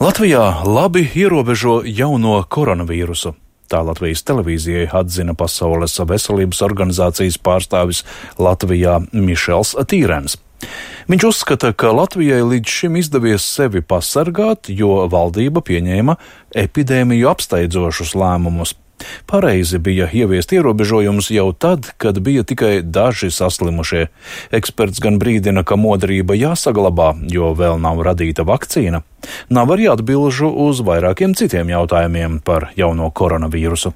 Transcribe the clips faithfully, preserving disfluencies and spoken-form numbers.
Latvijā labi ierobežo jauno koronavīrusu. Tā Latvijas televīzijai atzina Pasaules veselības organizācijas pārstāvis Latvijā Mišels Tīrens. Viņš uzskata, ka Latvijai līdz šim izdevies sevi pasargāt, jo valdība pieņēma epidēmiju apsteidzošus lēmumus. Pareizi bija ieviest ierobežojumus jau tad, kad bija tikai daži saslimušie. Eksperts gan brīdina, ka modrība jāsaglabā, jo vēl nav radīta vakcīna. Nav arī atbilžu uz vairākiem citiem jautājumiem par jauno koronavīrusu.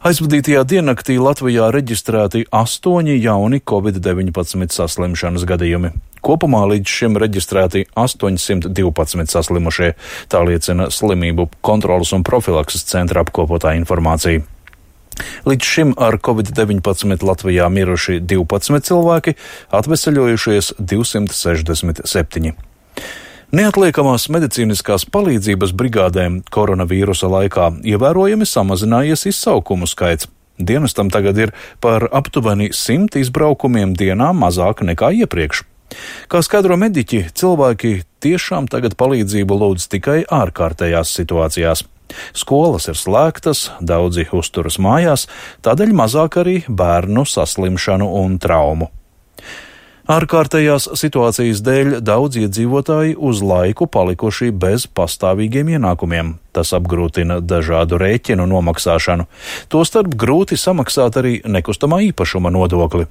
Aizvadītajā diennaktī Latvijā reģistrēti astoņi jauni covid deviņpadsmit saslimšanas gadījumi. Kopumā līdz šim reģistrēti astoņsimt divpadsmit saslimušie, tā liecina Slimību kontrolas un profilakses centra apkopotā informācija. Līdz šim ar covid deviņpadsmit Latvijā miruši divpadsmit cilvēki, atveseļojušies divsimt sešdesmit septiņi. Neatliekamās medicīniskās palīdzības brigādēm koronavīrusa laikā ievērojami samazinājies izsaukumu skaits. Dienestam tagad ir par aptuveni simt izbraukumiem dienā mazāk nekā iepriekš. Kā skaidro mediķi, cilvēki tiešām tagad palīdzību lūdz tikai ārkārtējās situācijās. Skolas ir slēgtas, daudzi uzturas mājās, tādēļ mazāk arī bērnu saslimšanu un traumu. Ārkārtējās situācijas dēļ daudz iedzīvotāji uz laiku palikuši bez pastāvīgiem ienākumiem. Tas apgrūtina dažādu rēķinu nomaksāšanu. Tostarp grūti samaksāt arī nekustamā īpašuma nodokli.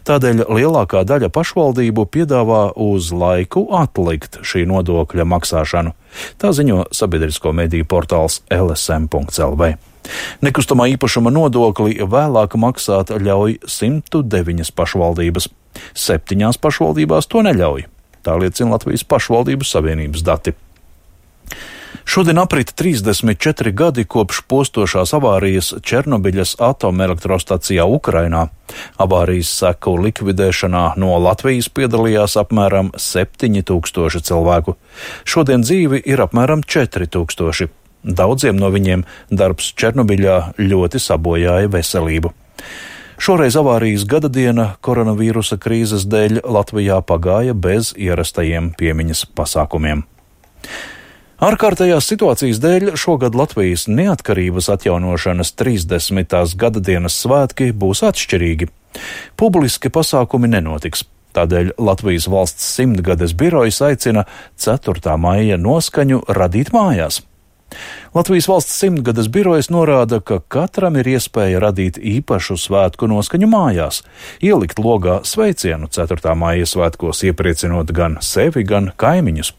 Tādēļ lielākā daļa pašvaldību piedāvā uz laiku atlikt šī nodokļa maksāšanu. Tā ziņo sabiedrisko mediju portāls L S M punkts L V. Nekustamā īpašuma nodokli vēlāk maksāt ļauj simt deviņas pašvaldības. Septiņās pašvaldībās to neļauj. Tā liecina Latvijas pašvaldību savienības dati. Šodien aprit trīsdesmit četri gadi kopš postošās avārijas Černobiļas atomelektrostacijā Ukrainā. Avārijas seku likvidēšanā no Latvijas piedalījās apmēram septiņi tūkstoši cilvēku. Šodien dzīvi ir apmēram četri tūkstoši. Daudziem no viņiem darbs Černobiļā ļoti sabojāja veselību. Šoreiz avārijas gada diena koronavīrusa krīzes dēļ Latvijā pagāja bez ierastajiem piemiņas pasākumiem. Ārkārtējās situācijas dēļ šogad Latvijas neatkarības atjaunošanas trīsdesmitās gada dienas svētki būs atšķirīgi. Publiski pasākumi nenotiks. Tādēļ Latvijas valsts simtgades birojas aicina ceturtā maija noskaņu radīt mājās. Latvijas valsts simtgades birojas norāda, ka katram ir iespēja radīt īpašu svētku noskaņu mājās, ielikt logā sveicienu ceturtā maija svētkos, iepriecinot gan sevi, gan kaimiņus.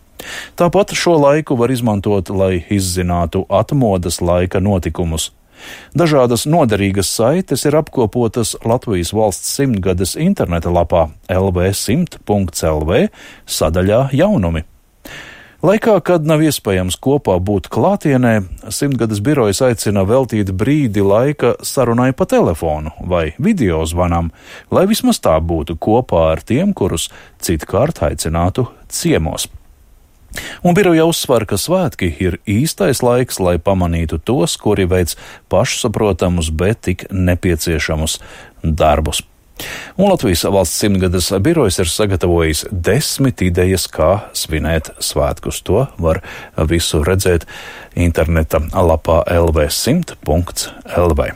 Tāpat šo laiku var izmantot, lai izzinātu atmodas laika notikumus. Dažādas noderīgas saites ir apkopotas Latvijas valsts simtgades interneta lapā L V simt punkts L V sadaļā jaunumi. Laikā, kad nav iespējams kopā būt klātienē, simtgades birojas aicina veltīt brīdi laika sarunai pa telefonu vai video zvanam, lai vismaz tā būtu kopā ar tiem, kurus citkārt aicinātu ciemos. Un biroja uzsver, ka svētki ir īstais laiks, lai pamanītu tos, kuri veic pašsaprotamus, bet tik nepieciešamus darbus. Un Latvijas valsts simtgades birojas ir sagatavojis desmit idejas, kā svinēt svētkus. To var visu redzēt interneta lapā L V simt punkts L V.